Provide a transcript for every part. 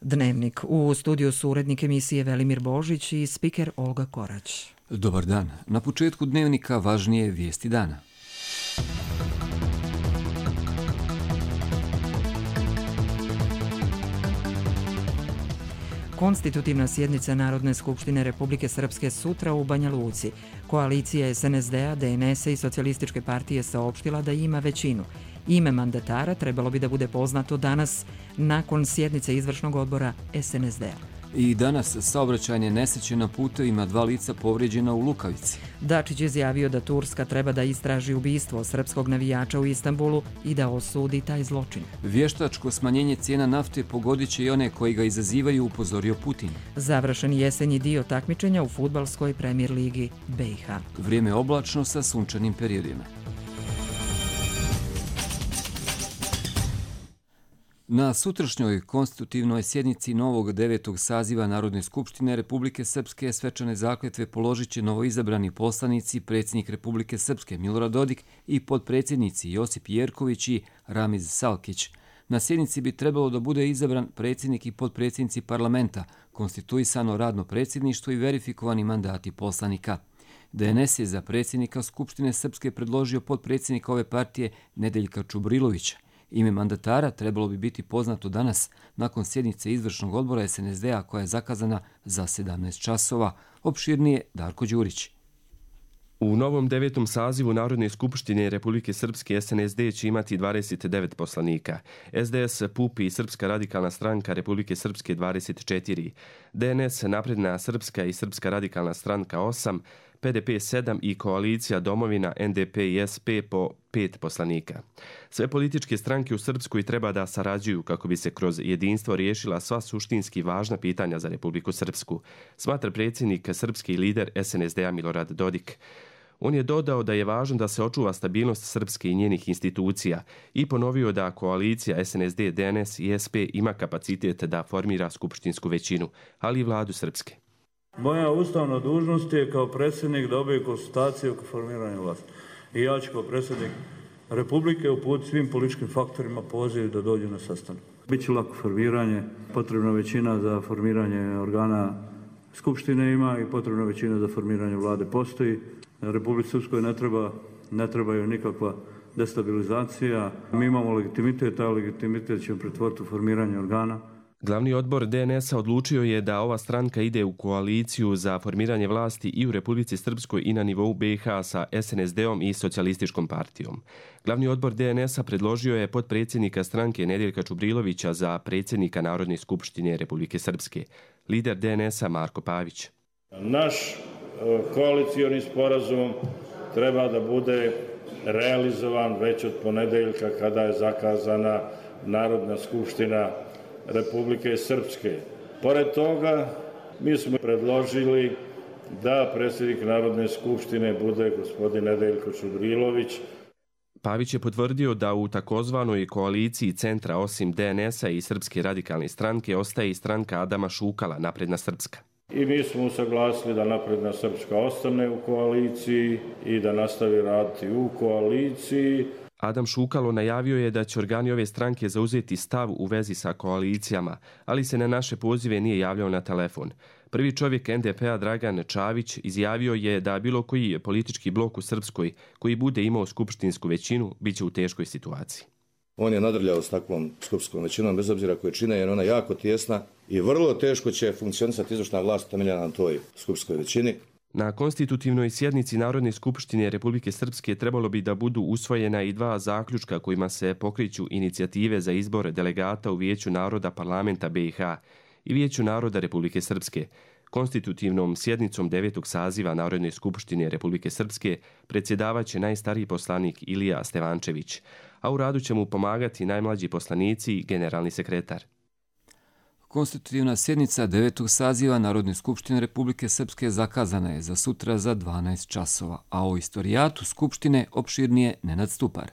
Dnevnik. U studiju su urednik emisije Velimir Božić i spiker Olga Korać. Dobar dan. Na početku Dnevnika važnije vijesti dana. Konstitutivna sjednica Narodne skupštine Republike Srpske sutra u Banja Luci. Koalicija SNSD-a, DNS-a i Socijalističke partije saopštila da ima većinu. Ime mandatara trebalo bi da bude poznato danas nakon sjednice izvršnog odbora SNSD-a. I danas saobraćajne nesreće na putevima, 2 lica povrijeđena u Lukavici. Dačić je izjavio da Turska treba da istraži ubistvo srpskog navijača u Istanbulu i da osudi taj zločin. Vještačko smanjenje cijena nafte pogodit će i one koji ga izazivaju, upozorio Putin. Završen jesenji dio takmičenja u fudbalskoj premijer ligi BiH. Vrijeme oblačno sa sunčanim periodima. Na sutrašnjoj konstitutivnoj sjednici novog 9. saziva Narodne skupštine Republike Srpske svečane zakletve položit će novoizabrani poslanici, predsjednik Republike Srpske Milorad Dodik i potpredsjednici Josip Jerković i Ramiz Salkić. Na sjednici bi trebalo da bude izabran predsjednik i potpredsjednici parlamenta, konstituisano radno predsjedništvo i verifikovani mandati poslanika. DNS je za predsjednika Skupštine Srpske predložio potpredsjednika ove partije Nedeljka Čubrilovića. Ime mandatara trebalo bi biti poznato danas nakon sjednice izvršnog odbora SNSD-a koja je zakazana za 17 časova. Opširnije Darko Đurić. U novom 9. sazivu Narodne skupštine Republike Srpske SNSD će imati 29 poslanika, SDS, PUP i Srpska radikalna stranka Republike Srpske 24, DNS, Napredna Srpska i Srpska radikalna stranka 8, PDP 7 i koalicija Domovina, NDP i SP po 5 poslanika. Sve političke stranke u Srpskoj treba da sarađuju kako bi se kroz jedinstvo riješila sva suštinski važna pitanja za Republiku Srpsku, smatra predsjednik srpski lider SNSD-a Milorad Dodik. On je dodao da je važno da se očuva stabilnost Srpske i njenih institucija i ponovio da koalicija SNSD, DNS i SP ima kapacitet da formira skupštinsku većinu, ali i vladu Srpske. Moja ustavna dužnost je kao predsjednik da obavim konsultacije oko formiranja vlasti. I ja ću kao predsjednik Republike uputiti svim političkim faktorima poziv da dođu na sastanak. Biće lako formiranje, potrebna većina za formiranje organa Skupštine ima i potrebna većina za formiranje vlade postoji. Republici Srpskoj ne trebaju nikakva destabilizacija. Mi imamo legitimitet, a legitimitet ćemo pretvoriti u formiranje organa. Glavni odbor DNS-a odlučio je da ova stranka ide u koaliciju za formiranje vlasti i u Republici Srpskoj i na nivou BiH sa SNSD-om i Socijalističkom partijom. Glavni odbor DNS-a predložio je potpredsjednika stranke Nedeljka Čubrilovića za predsjednika Narodne skupštine Republike Srpske. Lider DNS-a Marko Pavić. Naš koalicioni sporazum treba da bude realizovan već od ponedeljka kada je zakazana Narodna skupština Republike Srpske. Pored toga, mi smo predložili da predsjednik Narodne skupštine bude gospodin Nedeljko Čubrilović. Pavić je potvrdio da u takozvanoj koaliciji centra osim DNS-a i Srpske radikalne stranke ostaje i stranka Adama Šukala, Napredna Srpska. I mi smo usaglasili da Napredna Srpska ostane u koaliciji i da nastavi raditi u koaliciji. Adam Šukalo najavio je da će organi ove stranke zauzeti stav u vezi sa koalicijama, ali se na naše pozive nije javljao na telefon. Prvi čovjek NDP-a Dragan Čavić izjavio je da bilo koji politički blok u Srpskoj koji bude imao skupštinsku većinu biće u teškoj situaciji. On je nadrljao s takvom skupštinskom većinom bez obzira koje čine jer ona jako tjesna i vrlo teško će funkcionisati izvršna vlast temeljena na toj skupštinskoj većini. Na konstitutivnoj sjednici Narodne skupštine Republike Srpske trebalo bi da budu usvojena i 2 zaključka kojima se pokreću inicijative za izbor delegata u Vijeću naroda parlamenta BiH i Vijeću naroda Republike Srpske. Konstitutivnom sjednicom 9. saziva Narodne skupštine Republike Srpske predsjedavaće najstariji poslanik Ilija Stevančević, a u radu će mu pomagati najmlađi poslanici i generalni sekretar. Konstitutivna sjednica 9. saziva Narodne skupštine Republike Srpske zakazana je za sutra za 12 časova, a o istorijatu Skupštine opširnije Nenad Stupar.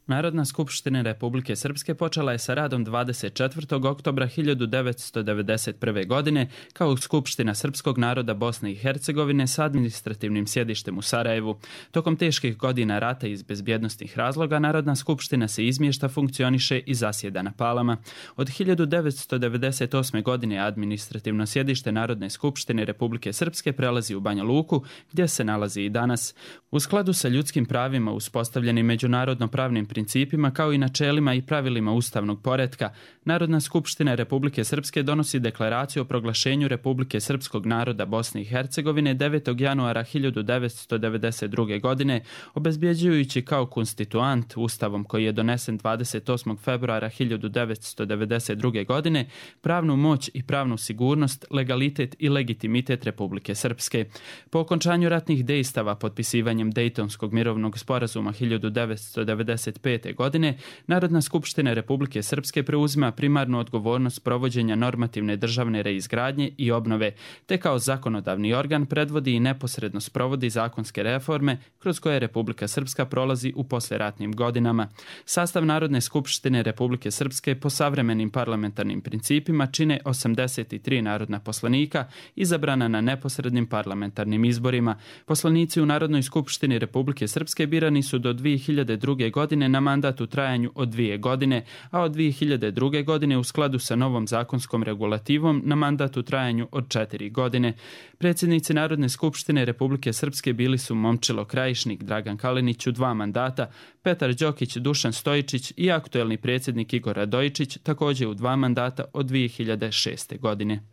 Narodna skupština Republike Srpske počela je sa radom 24. oktobra 1991. godine kao Skupština Srpskog naroda Bosne i Hercegovine sa administrativnim sjedištem u Sarajevu. Tokom teških godina rata iz bezbjednostnih razloga Narodna skupština se izmješta, funkcioniše i zasjeda na Palama. Od 1998. godine administrativno sjedište Narodne skupštine Republike Srpske prelazi u Banja Luku, gdje se nalazi i danas. U skladu sa ljudskim pravima uspostavljenim međunarodno pravnim principima kao i načelima i pravilima ustavnog poretka, Narodna skupština Republike Srpske donosi deklaraciju o proglašenju Republike Srpskog naroda Bosne i Hercegovine 9. januara 1992. godine, obezbjeđujući kao konstituant Ustavom koji je donesen 28. februara 1992. godine pravnu moć i pravnu sigurnost, legalitet i legitimitet Republike Srpske. Po okončanju ratnih dejstava potpisivanjem Dejtonskog mirovnog sporazuma 1995. godine, Narodna skupština Republike Srpske preuzima primarnu odgovornost provođenja normativne državne reizgradnje i obnove, te kao zakonodavni organ predvodi i neposredno sprovodi zakonske reforme kroz koje Republika Srpska prolazi u posleratnim godinama. Sastav Narodne skupštine Republike Srpske po savremenim parlamentarnim principima čine 83 narodna poslanika izabrana na neposrednim parlamentarnim izborima. Poslanici u Narodnoj skupštini Republike Srpske birani su do 2002. godine na mandat u trajanju od 2 godine, a od 2002. godine u skladu sa novom zakonskom regulativom na mandat u trajanju od 4 godine. Predsjednici Narodne skupštine Republike Srpske bili su Momčilo Krajišnik, Dragan Kalinić u 2 mandata, Petar Đokić, Dušan Stojičić i aktuelni predsjednik Igor Radojičić također u 2 mandata od 2006. godine.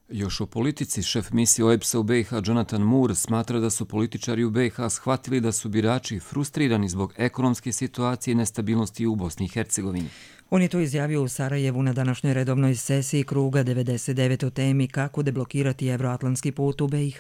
Još o politici, šef misije OEBS-a u BiH Jonathan Moore smatra da su političari u BiH shvatili da su birači frustrirani zbog ekonomske situacije i nestabilnosti u Bosni i Hercegovini. On je to izjavio u Sarajevu na današnjoj redovnoj sesiji kruga 99 o temi kako deblokirati evroatlantski put u BiH.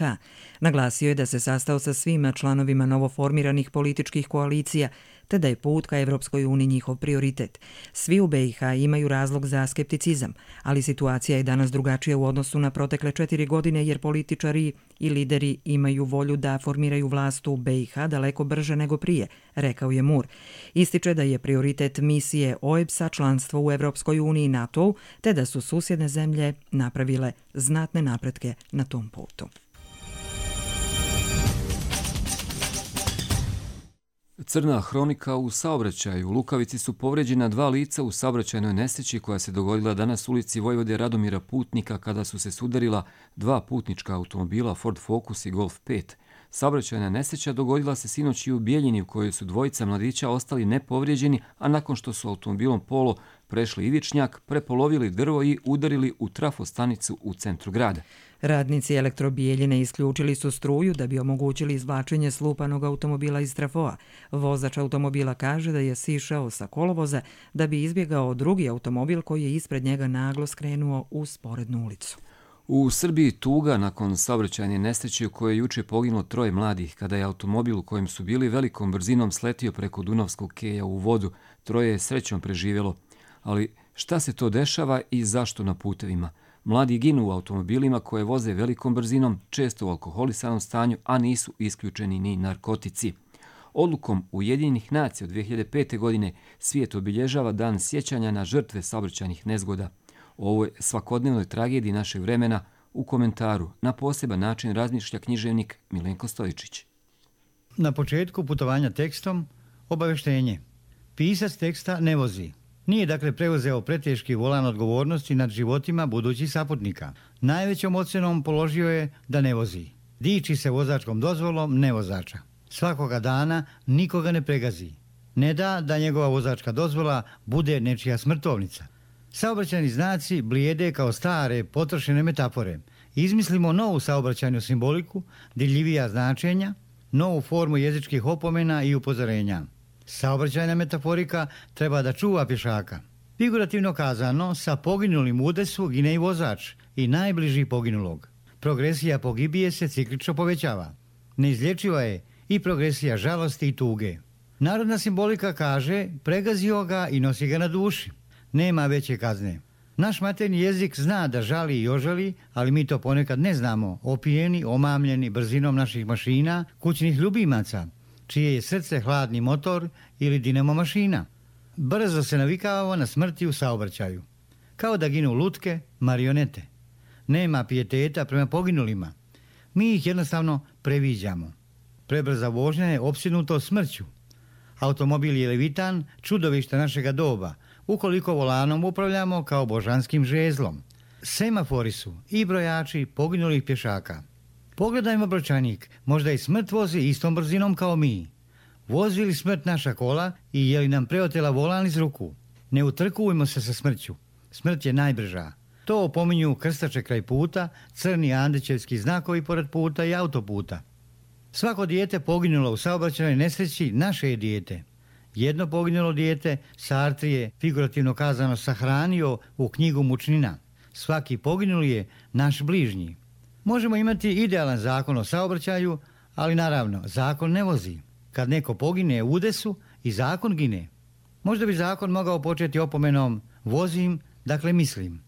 Naglasio je da se sastao sa svima članovima novoformiranih političkih koalicija, te da je put ka Evropskoj uniji njihov prioritet. Svi u BiH imaju razlog za skepticizam, ali situacija je danas drugačija u odnosu na protekle 4 godine jer političari i lideri imaju volju da formiraju vlast u BiH daleko brže nego prije, rekao je Moore. Ističe da je prioritet misije OEBS-a članstvo u Evropskoj uniji i NATO-u, te da su susjedne zemlje napravile znatne napretke na tom putu. Crna hronika u saobraćaju. U Lukavici su povređena 2 lica u saobraćajnoj nesreći koja se dogodila danas u ulici Vojvode Radomira Putnika kada su se sudarila 2 putnička automobila Ford Focus i Golf 5. Saobraćajna nesreća dogodila se sinoć i u Bijeljini u kojoj su 2 mladića ostali nepovrijeđeni, a nakon što su automobilom Polo prešli ivičnjak, prepolovili drvo i udarili u trafostanicu u centru grada. Radnici Elektrobijeljine isključili su struju da bi omogućili izvlačenje slupanog automobila iz trafoa. Vozač automobila kaže da je sišao sa kolovoza da bi izbjegao drugi automobil koji je ispred njega naglo skrenuo u sporednu ulicu. U Srbiji tuga nakon saobraćajne nesreće u kojoj je juče poginulo 3 mladih kada je automobil u kojem su bili velikom brzinom sletio preko Dunavskog keja u vodu. 3 je srećom preživjelo. Ali šta se to dešava i zašto na putevima? Mladi ginu u automobilima koje voze velikom brzinom, često u alkoholisanom stanju, a nisu isključeni ni narkotici. Odlukom Ujedinjenih nacija od 2005. godine svijet obilježava dan sjećanja na žrtve saobraćajnih nezgoda. O ovoj svakodnevnoj tragediji našeg vremena u komentaru na poseban način razmišlja književnik Milenko Stojičić. Na početku putovanja tekstom obaveštenje. Pisac teksta ne vozi. Nije dakle preuzeo preteški volan odgovornosti nad životima budućih saputnika. Najvećom ocenom položio je da ne vozi. Diči se vozačkom dozvolom nevozača. Svakoga dana nikoga ne pregazi. Ne da njegova vozačka dozvola bude nečija smrtovnica. Saobraćajni znaci blijede kao stare, potrošene metafore. Izmislimo novu saobraćajnu simboliku, dirljivija značenja, novu formu jezičkih opomena i upozorenja. Saobraćajna metaforika treba da čuva pješaka. Figurativno kazano, sa poginulim u udesu gine i vozač i najbliži poginulog. Progresija pogibije se ciklično povećava. Neizlječiva je i progresija žalosti i tuge. Narodna simbolika kaže, pregazio ga i nosi ga na duši. Nema veće kazne. Naš materni jezik zna da žali i ožali, ali mi to ponekad ne znamo, opijeni, omamljeni brzinom naših mašina, kućnih ljubimaca, čije je srce hladni motor ili dinamo mašina. brzo se navikavamo na smrti u saobraćaju. Kao da ginu lutke, marionete. Nema pijeteta prema poginulima. Mi ih jednostavno previđamo. Prebrza vožnja je opsjednuto smrću. Automobil je levitan, čudovište našega doba, ukoliko volanom upravljamo kao božanskim žezlom. Semafori su i brojači poginulih pješaka. Pogledajmo brojčanik, možda i smrt vozi istom brzinom kao mi. Vozi li smrt naša kola i je li nam preotela volan iz ruku? Ne utrkujmo se sa smrću. Smrt je najbrža. To opominju krstače kraj puta, crni Andrićevski znakovi pored puta i autoputa. Svako dijete poginulo u saobraćajnoj nesreći naše je dijete. Jedno poginulo dijete Sartre je, figurativno kazano, sahranio u knjigu mučnina. Svaki poginuli je naš bližnji. Možemo imati idealan zakon o saobraćaju, ali naravno, zakon ne vozi. Kad neko pogine u udesu, i zakon gine. Možda bi zakon mogao početi opomenom vozim, dakle mislim.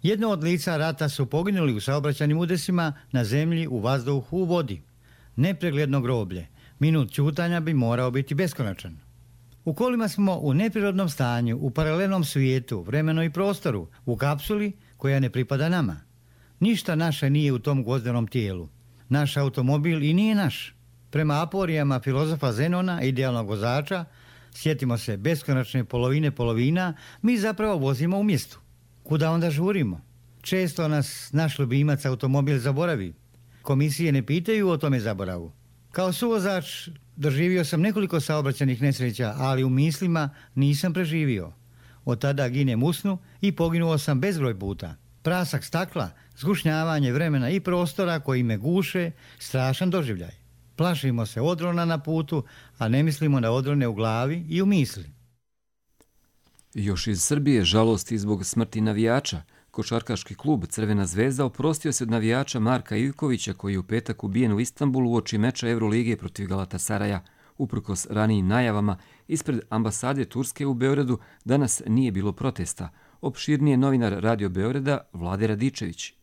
Jedno od lica rata su poginuli u saobraćajnim udesima na zemlji, u vazduhu, u vodi. Nepregledno groblje. Minut ćutanja bi morao biti beskonačan. U kolima smo u neprirodnom stanju, u paralelnom svijetu, vremenu i prostoru, u kapsuli koja ne pripada nama. Ništa naše nije u tom gvozdenom tijelu. Naš automobil i nije naš. Prema aporijama filozofa Zenona, idealnog vozača, sjetimo se beskonačne polovine polovina, mi zapravo vozimo u mjestu. Kuda onda žurimo? Često nas naš ljubimac automobil zaboravi. Komisije ne pitaju o tome zaboravu. Kao suvozač doživio sam nekoliko saobraćajnih nesreća, ali u mislima nisam preživio. Od tada ginem u snu i poginuo sam bezbroj puta. Prasak stakla, zgušnjavanje vremena i prostora koji me guše, strašan doživljaj. Plašimo se odrona na putu, a ne mislimo na odrone u glavi i u misli. Još iz Srbije žalosti zbog smrti navijača. Košarkaški klub Crvena zvezda oprostio se od navijača Marka Ivkovića koji je u petak ubijen u Istanbulu uoči meča Evrolige protiv Galatasaraja. Uprkos ranijim najavama, ispred ambasade Turske u Beogradu danas nije bilo protesta. Opširnije novinar Radio Beograda Vlade Radičević.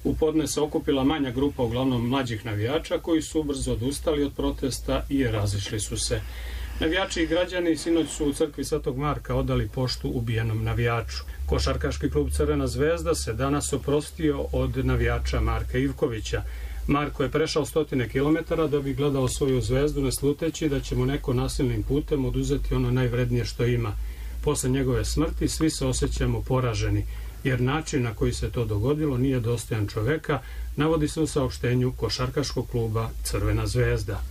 U podne se okupila manja grupa, uglavnom mlađih navijača, koji su ubrzo odustali od protesta i razišli su se. Navijači i građani sinoć su u crkvi Svetog Marka odali poštu ubijenom navijaču. Košarkaški klub Crvena zvezda se danas oprostio od navijača Marka Ivkovića. Marko je prešao 100 kilometara da bi gledao svoju zvezdu, ne sluteći da će mu neko nasilnim putem oduzeti ono najvrednije što ima. Posle njegove smrti svi se osjećamo poraženi, jer način na koji se to dogodilo nije dostojan čoveka, navodi se u saopštenju košarkaškog kluba Crvena zvezda.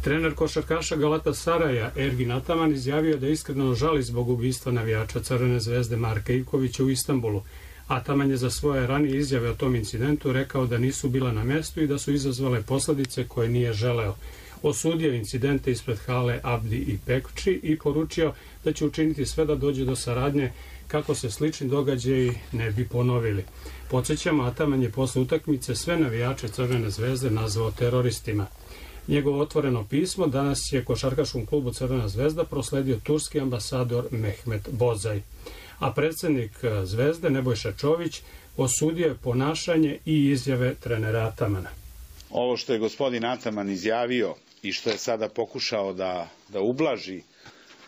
Trener košarkaša Galatasaraja Ergin Ataman izjavio da iskreno žali zbog ubistva navijača Crvene zvezde Marka Ivkovića u Istanbulu. Ataman je za svoje ranije izjave o tom incidentu rekao da nisu bila na mjestu i da su izazvale posljedice koje nije želeo. Osudio incidente ispred hale Abdi i Pekči i poručio da će učiniti sve da dođe do saradnje kako se slični događaji ne bi ponovili. Podsjećamo, Ataman je posle utakmice sve navijače Crvene zvezde nazvao teroristima. Njegovo otvoreno pismo danas je košarkaškom klubu Crvena zvezda prosledio turski ambasador Mehmet Bozaj. A predsjednik Zvezde Nebojša Čović osudio je ponašanje i izjave trenera Atamana. Ovo što je gospodin Ataman izjavio i što je sada pokušao da ublaži,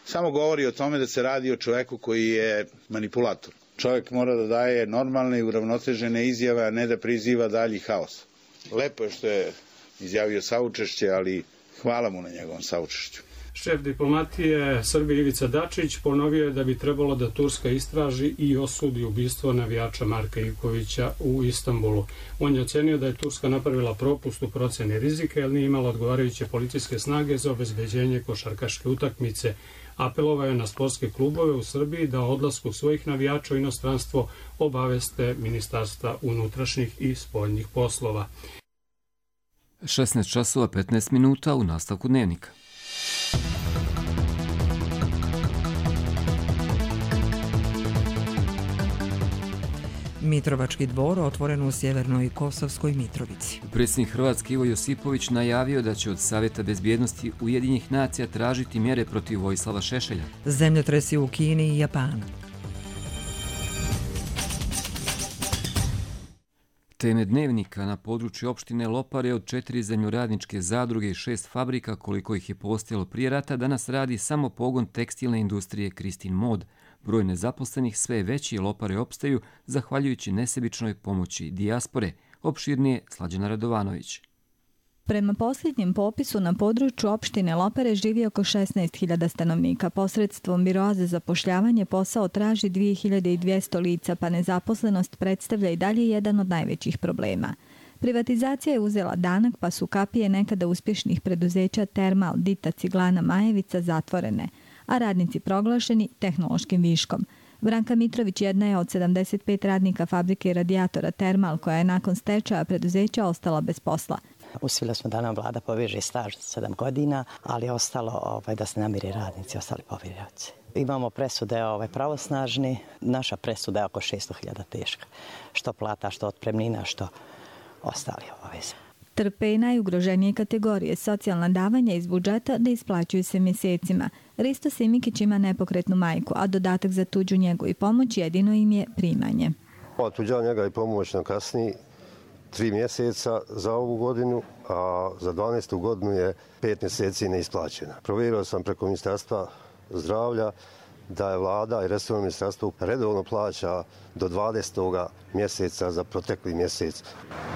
samo govori o tome da se radi o čovjeku koji je manipulator. Čovjek mora da daje normalne i uravnotežene izjave, a ne da priziva dalji haos. Lepo je što je izjavio saučešće, ali hvala mu na njegovom saučešću. Šef diplomatije Srbije Ivica Dačić ponovio je da bi trebalo da Turska istraži i osudi ubistvo navijača Marka Ivkovića u Istanbulu. On je ocenio da je Turska napravila propust u procjeni rizika jer nije imala odgovarajuće policijske snage za obezbeđenje košarkaške utakmice. Apelovao je na sportske klubove u Srbiji da o odlasku svojih navijača u inostranstvo obaveste Ministarstva unutrašnjih i spoljnih poslova. 16 časova 15 minuta u nastavku dnevnika. Mitrovački dvor otvoren u sjevernoj Kosovskoj Mitrovici. Predsjednik Hrvatske Ivo Josipović najavio da će od Savjeta bezbjednosti Ujedinjenih nacija tražiti mjere protiv Vojislava Šešelja. Zemljotresi u Kini i Japanu. Teme dnevnika na području opštine Lopare od 4 zemljoradničke zadruge i 6 fabrika, koliko ih je postojalo prije rata, danas radi samo pogon tekstilne industrije Kristin Mod. Broj nezaposlenih sve je veći i Lopare opstaju zahvaljujući nesebičnoj pomoći dijaspore. Opširnije Slađana Radovanović. Prema posljednjem popisu na području opštine Lopare živi oko 16.000 stanovnika. Posredstvom Biroa za zapošljavanje posao traži 2200 lica, pa nezaposlenost predstavlja i dalje jedan od najvećih problema. Privatizacija je uzela danak, pa su kapije nekada uspješnih preduzeća Termal, Dita, Ciglana, Majevica zatvorene, a radnici proglašeni tehnološkim viškom. Branka Mitrović jedna je od 75 radnika fabrike radijatora Termal, koja je nakon stečaja preduzeća ostala bez posla. Uspjeli smo da nam vlada poveže staž 7 godina, ali je ostalo da se namire radnici, ostali povjerioci. Imamo presude pravosnažni, naša presuda je oko 600.000 teška. Što plata, što otpremnina, što ostali obaveze. Trpe i najugroženije kategorije. Socijalna davanja iz budžeta da isplaćuju se mjesecima. Risto Simikić ima nepokretnu majku, a dodatak za tuđu njegu i pomoć jedino im je primanje. Tuđa njega i pomoć na kasniji 3 mjeseca za ovu godinu, a za 12. godinu je 5 mjeseci neisplaćena. Provjerio sam preko Ministarstva zdravlja da je vlada i resorno ministarstvo redovno plaća do 20. mjeseca za protekli mjesec.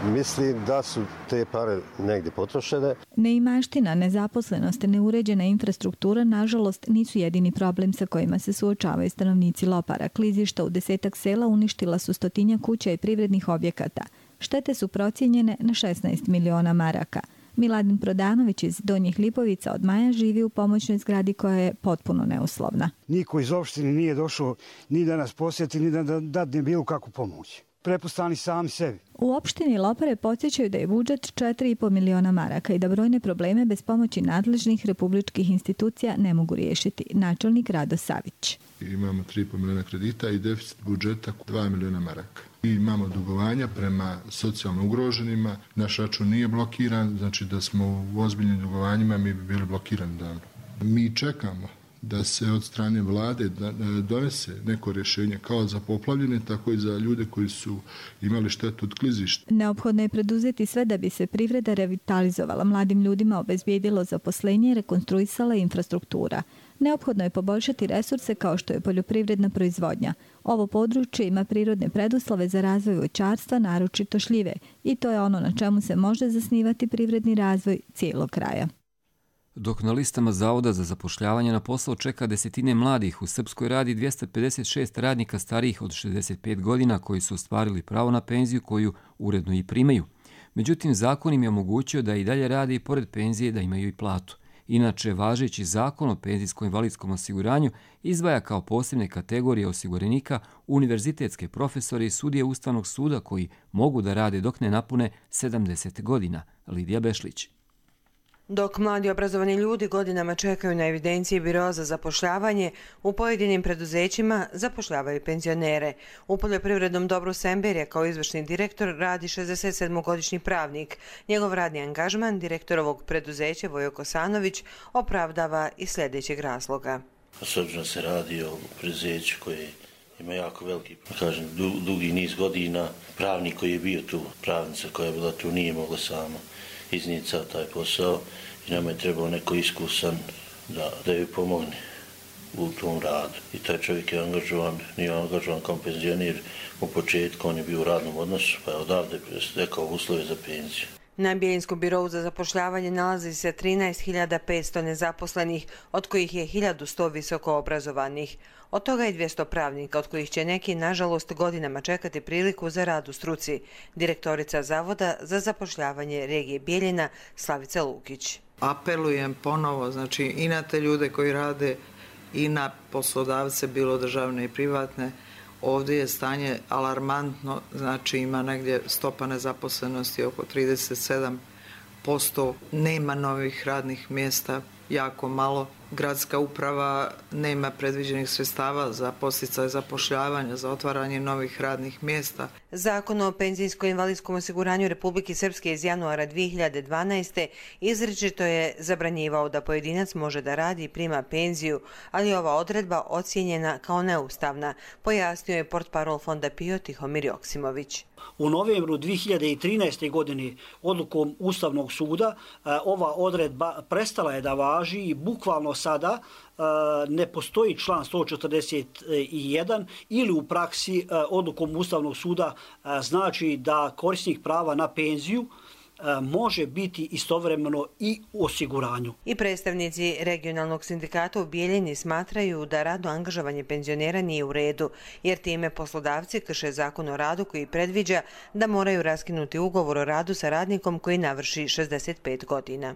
Mislim da su te pare negdje potrošene. Neimaština, nezaposlenost, neuređena infrastruktura, nažalost, nisu jedini problem sa kojima se suočavaju stanovnici Lopara. Klizišta u 10 sela uništila su 100 kuća i privrednih objekata. Štete su procijenjene na 16 miliona maraka. Miladin Prodanović iz Donjih Lipovica od maja živi u pomoćnoj zgradi koja je potpuno neuslovna. Niko iz opštine nije došao ni da nas posjeti, ni da dadne bilo kakvu pomoć. Prepustani sami sebi. U opštini Lopare podsjećaju da je budžet 4,5 miliona maraka i da brojne probleme bez pomoći nadležnih republičkih institucija ne mogu riješiti. Načelnik Rado Savić. Imamo 3,5 miliona kredita i deficit budžeta 2 miliona maraka. I imamo dugovanja prema socijalno ugroženima. Naš račun nije blokiran, znači da smo u ozbiljnim dugovanjima mi bi bili blokirani davno. Mi čekamo da se od strane vlade donese neko rješenje kao za poplavljene, tako i za ljude koji su imali štetu od klizišta. Neophodno je preduzeti sve da bi se privreda revitalizovala, mladim ljudima obezbijedilo zaposlenje i rekonstruisala infrastruktura. Neophodno je poboljšati resurse kao što je poljoprivredna proizvodnja. Ovo područje ima prirodne preduslove za razvoj voćarstva, naročito šljive, i to je ono na čemu se može zasnivati privredni razvoj cijelog kraja. Dok na listama Zavoda za zapošljavanje na posao čeka desetine mladih, u Srpskoj radi 256 radnika starijih od 65 godina koji su ostvarili pravo na penziju koju uredno i primaju. Međutim, zakon im je omogućio da i dalje rade i pored penzije da imaju i platu. Inače, važeći zakon o penzijsko-invalidskom osiguranju izdvaja kao posebne kategorije osiguranika univerzitetske profesore i sudije Ustavnog suda koji mogu da rade dok ne napune 70 godina. Lidija Bešlić. Dok mladi obrazovani ljudi godinama čekaju na evidenciji Biroa za zapošljavanje, u pojedinim preduzećima zapošljavaju penzionere. U poljoprivrednom dobru Semberija kao izvršni direktor radi 67-godišnji pravnik. Njegov radni angažman direktorovog preduzeća Vojo Kosanović opravdava iz sljedećeg razloga. S obzirom se radi o preduzeću koje ima jako veliki, dugi niz godina. Pravnik koji je bio tu, pravnica koja je bila tu, nije mogla sama iznijeti sav taj posao i nama je trebao neko iskusan da joj pomogne u tom radu. I taj čovjek je nije angažovan kao penzioner u početku, on je bio u radnom odnosu, pa je odavde stekao uslove za penziju. Na Bijelinskom birovu za zapošljavanje nalazi se 13.500 nezaposlenih, od kojih je 1.100 visoko obrazovanih. Od toga je 200 pravnika, od kojih će neki, nažalost, godinama čekati priliku za rad u struci. Direktorica Zavoda za zapošljavanje regije Bijeljina, Slavica Lukić. Apelujem ponovo, i na te ljude koji rade i na poslodavce, bilo državne i privatne. Ovdje je stanje alarmantno, ima negdje stopa nezaposlenosti oko 37%, nema novih radnih mjesta, jako malo. Gradska uprava nema predviđenih sredstava za podsticaj zapošljavanja, za otvaranje novih radnih mjesta. Zakon o penzijsko-invalidskom osiguranju Republike Srpske iz januara 2012. izričito je zabranjivao da pojedinac može da radi i prima penziju, ali ova odredba ocijenjena kao neustavna, pojasnio je portparol Fonda PIO Tihomir Joksimović. U novembru 2013. godine odlukom Ustavnog suda ova odredba prestala je da važi i bukvalno sada ne postoji član 141 ili u praksi odlukom Ustavnog suda znači da korisnik prava na penziju može biti istovremeno i u osiguranju. I predstavnici regionalnog sindikata u Bijeljini smatraju da radno angažovanje penzionera nije u redu, jer time poslodavci krše zakon o radu koji predviđa da moraju raskinuti ugovor o radu sa radnikom koji navrši 65 godina.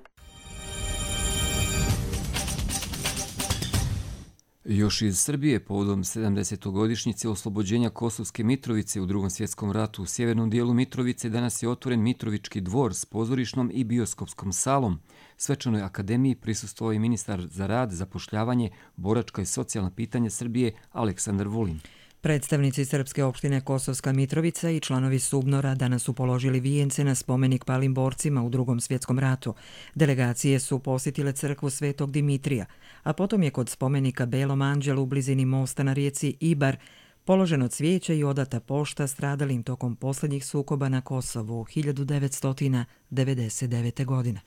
Još iz Srbije, povodom 70-godišnjice oslobođenja Kosovske Mitrovice u Drugom svjetskom ratu u sjevernom dijelu Mitrovice, danas je otvoren Mitrovički dvor s pozorišnom i bioskopskom salom. Svečanoj akademiji prisustvovao je ministar za rad, zapošljavanje, boračka i socijalna pitanja Srbije Aleksandar Vulin. Predstavnici Srpske opštine Kosovska Mitrovica i članovi Subnora danas su položili vijence na spomenik palim borcima u Drugom svjetskom ratu. Delegacije su posjetile crkvu Svetog Dimitrija, a potom je kod spomenika Belom anđelu u blizini mosta na rijeci Ibar položeno cvijeće i odata pošta stradalim tokom posljednjih sukoba na Kosovu 1999. godine.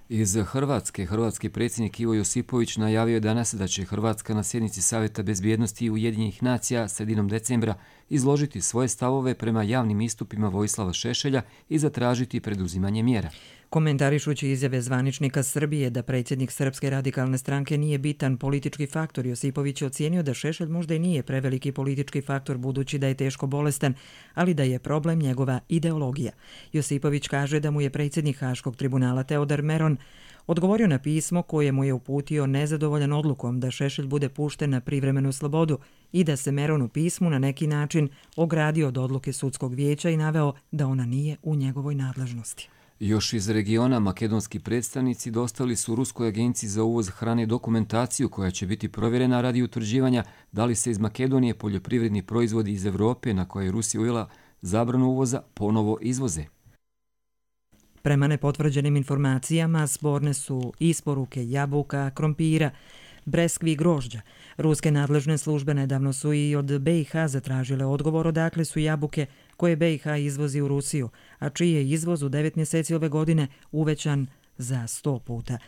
Iz Hrvatske, hrvatski predsjednik Ivo Josipović najavio je danas da će Hrvatska na sjednici Savjeta bezbjednosti Ujedinjenih nacija sredinom decembra izložiti svoje stavove prema javnim istupima Vojislava Šešelja i zatražiti preduzimanje mjera. Komentarišući izjave zvaničnika Srbije da predsjednik Srpske radikalne stranke nije bitan politički faktor, Josipović je ocijenio da Šešelj možda i nije preveliki politički faktor budući da je teško bolestan, ali da je problem njegova ideologija. Josipović kaže da mu je predsjednik Haškog tribunala Teodor Meron odgovorio na pismo koje mu je uputio nezadovoljan odlukom da Šešelj bude pušten na privremenu slobodu i da se Meron u pismu na neki način ogradio od odluke sudskog vijeća i naveo da ona nije u njegovoj nadležnosti. Još iz regiona makedonski predstavnici dostavili su Ruskoj agenciji za uvoz hrane dokumentaciju koja će biti provjerena radi utvrđivanja da li se iz Makedonije poljoprivredni proizvodi iz Evrope na koje je Rusija uvela zabranu uvoza ponovo izvoze. Prema nepotvrđenim informacijama sporne su isporuke jabuka, krompira, breskvi i grožđa. Ruske nadležne službe nedavno su i od BiH zatražile odgovor odakle su jabuke koje BiH izvozi u Rusiju, a čiji je izvoz u 9 mjeseci ove godine uvećan za 100 puta.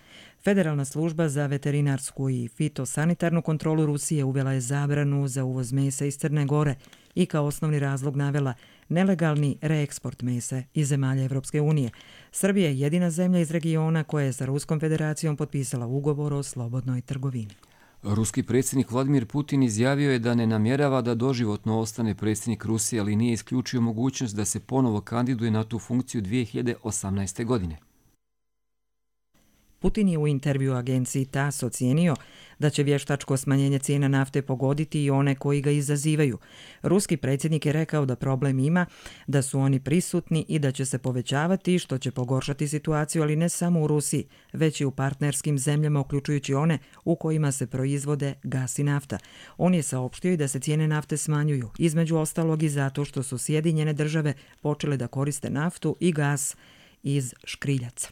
Federalna služba za veterinarsku i fitosanitarnu kontrolu Rusije uvela je zabranu za uvoz mesa iz Crne Gore i kao osnovni razlog navela nelegalni reeksport mesa iz zemalja Evropske unije. Srbija je jedina zemlja iz regiona koja je sa Ruskom federacijom potpisala ugovor o slobodnoj trgovini. Ruski predsjednik Vladimir Putin izjavio je da ne namjerava da doživotno ostane predsjednik Rusije, ali nije isključio mogućnost da se ponovo kandiduje na tu funkciju 2018. godine. Putin je u intervju agenciji TASS ocijenio da će vještačko smanjenje cijena nafte pogoditi i one koji ga izazivaju. Ruski predsjednik je rekao da problem ima, da su oni prisutni i da će se povećavati, što će pogoršati situaciju, ali ne samo u Rusiji, već i u partnerskim zemljama, uključujući one u kojima se proizvode gas i nafta. On je saopštio i da se cijene nafte smanjuju, između ostalog i zato što su Sjedinjene države počele da koriste naftu i gas iz škriljaca.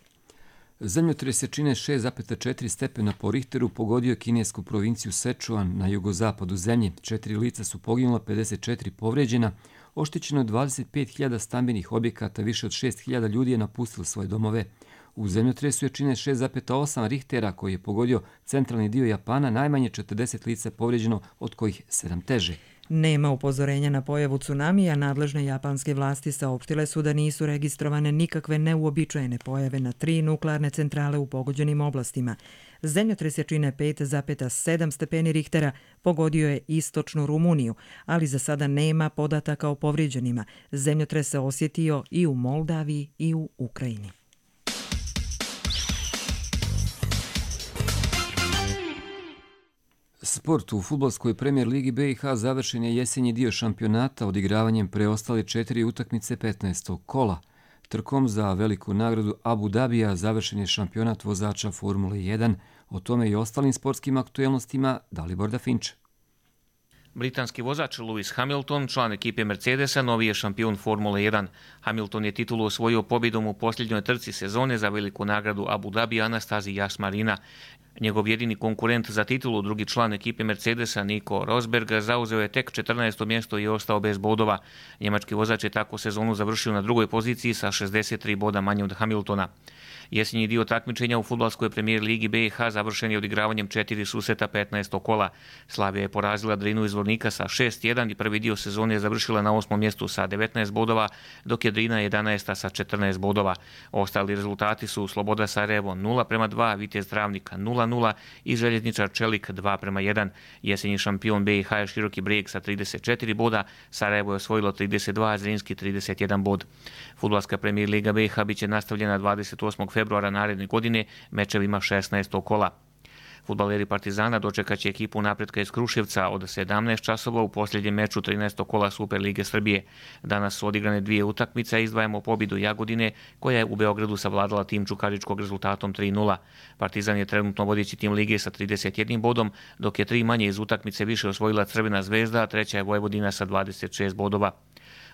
Zemljotres jačine 6,4 stepena po Richteru pogodio kinesku provinciju Sichuan na jugozapadu zemlje. 4 lica su poginula, 54 povređena, oštećeno je 25.000 stambenih objekata, više od 6.000 ljudi je napustilo svoje domove. U zemljotresu jačine 6,8 Richtera koji je pogodio centralni dio Japana, najmanje 40 lica povređeno, od kojih 7 teže. Nema upozorenja na pojavu tsunamija, nadležne japanske vlasti saopštile su da nisu registrovane nikakve neuobičajene pojave na 3 nuklearne centrale u pogođenim oblastima. Zemljotres jačine 5,7 stepeni Richtera pogodio je istočnu Rumuniju, ali za sada nema podataka o povrijeđenima. Zemljotres se osjetio i u Moldaviji i u Ukrajini. Sport u fudbalskoj premijer ligi BiH završen je jesenji dio šampionata odigravanjem preostale 4 utakmice 15. kola. Trkom za veliku nagradu Abu Dabija završen je šampionat vozača Formule 1. O tome i ostalim sportskim aktuelnostima Dalibor Dafinče. Britanski vozač Lewis Hamilton, član ekipe Mercedesa, novi je šampion Formule 1. Hamilton je titulu osvojio pobjedom u posljednjoj trci sezone za veliku nagradu Abu Dhabi Anastazi Jasmarina. Njegov jedini konkurent za titulu, drugi član ekipe Mercedesa, Nico Rosberg, zauzeo je tek 14. mjesto i ostao bez bodova. Njemački vozač je tako sezonu završio na drugoj poziciji sa 63 boda manje od Hamiltona. Jesenji dio takmičenja u fudbalskoj premijer ligi BiH završen je odigravanjem 4 susreta 15. kola. Slavija je porazila Drinu iz Zvornika sa 6-1 i prvi dio sezone je završila na 8. mjestu sa 19 bodova, dok je Drina 11. sa 14 bodova. Ostali rezultati su Sloboda Sarajevo 0:2, Vitez Travnik 0:0 i Željezničar Čelik 2:1. Jesenji šampion BiH je Široki Brijeg sa 34 boda, Sarajevo je osvojilo 32, a Zrinski 31 bod. Fudbalska premijer liga BiH bit će nastavljena 28. februara naredne godine mečevima 16. kola. Fudbaleri Partizana dočekat će ekipu Napretka iz Kruševca od 17 časova u posljednjem meču 13. kola Super Lige Srbije. Danas su odigrane 2 utakmice, izdvajamo pobjedu Jagodine koja je u Beogradu savladala tim Čukaričkog rezultatom 3:0. Partizan je trenutno vodeći tim lige sa 31 bodom, dok je 3 manje iz utakmice više osvojila Crvena Zvezda, a treća je Vojvodina sa 26 bodova.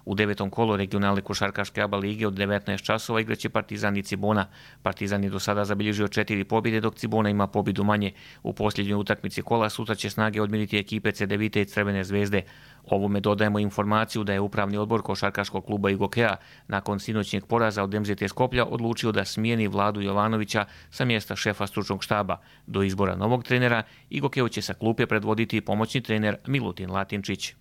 U 9. kolu regionalne košarkaške ABA lige od 19 časova igraće Partizan i Cibona. Partizan je do sada zabilježio 4 pobjede, dok Cibona ima pobjedu manje. U posljednjoj utakmici kola sutra će snage odmiriti ekipe CDVite i Crvene Zvezde. Ovome dodajemo informaciju da je upravni odbor košarkaškog kluba Igokea nakon sinoćnjeg poraza od MZT Skoplja odlučio da smijeni Vladu Jovanovića sa mjesta šefa stručnog štaba. Do izbora novog trenera Igokeo će sa klupe predvoditi pomoćni trener Milutin Latinčić.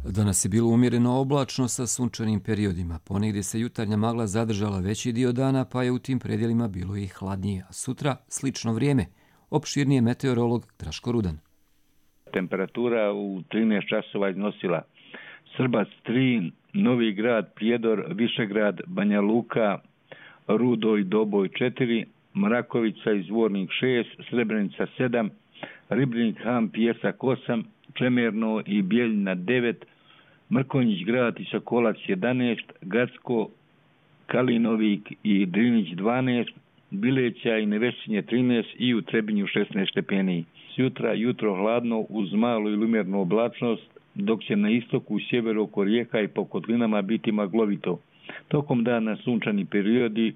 Danas je bilo umjereno oblačno sa sunčanim periodima. Ponegdje se jutarnja magla zadržala veći dio dana, pa je u tim predjelima bilo i hladnije. A sutra slično vrijeme. Opširnije meteorolog Draško Rudan. Temperatura u 13 časova iznosila Srbac 3, Novi Grad, Prijedor, Višegrad, Banja Luka, Rudo i Doboj 4, Mrakovica i Zvornik 6, Srebrenica 7, Ribnik, Han, Pijesak 8, Čemerno i Bijeljina 9, Mrkonjić Grad i Sokolac 11, Gacko, Kalinovik i Drinić 12, Bileća i Nevešćinje 13 i u Trebinju 16 stepeni. Sutra jutro hladno uz malu ili umjernu oblačnost, dok će na istoku, sjeveru oko rijeka i po kotlinama biti maglovito. Tokom dana sunčani periodi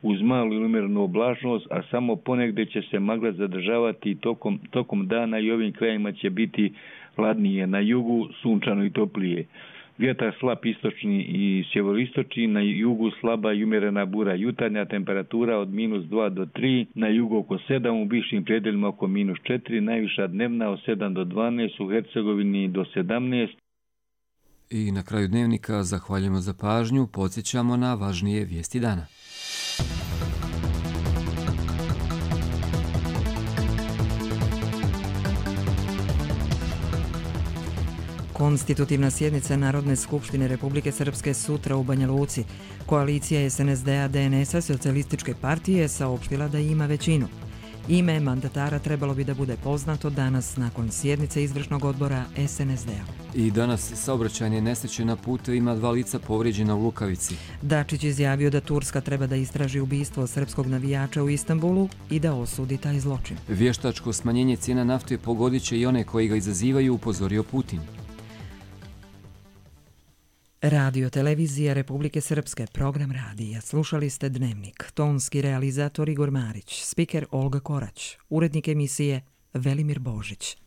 uz malu ili umjernu oblačnost, a samo ponegdje će se magla zadržavati tokom dana i ovim krajima će biti hladnije, na jugu sunčano i toplije. Vjetar slab istočni i sjeveroistočni, na jugu slaba i umjerena bura. Jutarnja temperatura od -2 do 3, na jugu oko 7, u višim predjelima oko -4, najviša dnevna od 7 do 12, u Hercegovini do 17. I na kraju dnevnika zahvaljujemo za pažnju, podsjećamo na važnije vijesti dana. Konstitutivna sjednica Narodne skupštine Republike Srpske sutra u Banja Luci. Koalicija SNSD-a, DNS-a, Socijalističke partije saopštila da ima većinu. Ime mandatara trebalo bi da bude poznato danas nakon sjednice izvršnog odbora SNSD-a. I danas saobraćajne nesreće na putevima, 2 lica povrijeđena u Lukavici. Dačić izjavio da Turska treba da istraži ubistvo srpskog navijača u Istanbulu i da osudi taj zločin. Vještačko smanjenje cijena nafte pogodit će i one koji ga izazivaju, upozorio Putin. Radio Televizija Republike Srpske, program radija. Slušali ste Dnevnik. Tonski realizator Igor Marić, spiker Olga Korać, urednik emisije Velimir Božić.